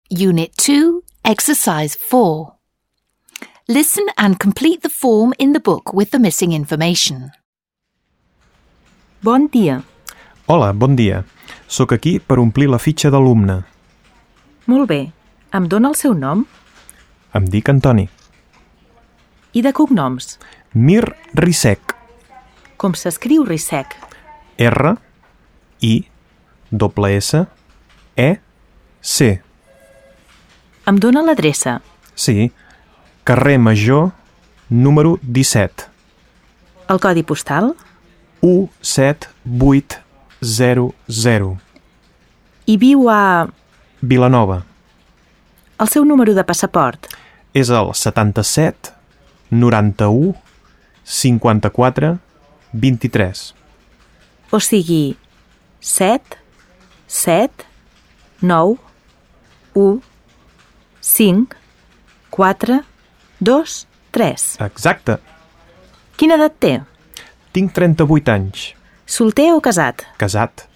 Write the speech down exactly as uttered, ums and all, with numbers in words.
Unit two, Exercise four. Listen and complete the form in the book with the missing information. Bon dia. Hola, bon dia. Soc aquí per omplir la fitxa d'alumne. Molt bé. Em dóna el seu nom? Em dic Antoni. I de cognoms? Mir Risek. Com s'escriu Risek? R, I, doble S, E, C. Em dóna l'adreça? Sí, carrer Major, número disset. El codi postal? u set vuit zero zero. I viu a... Vilanova. El seu número de passaport? És el setanta-set noranta-u cinquanta-quatre vint-i-tres. O sigui, set, set, nou, u, cinc, quatre, dos, tres. Exacte. Quina edat té? Tinc trenta-vuit anys. Solter o casat? Casat.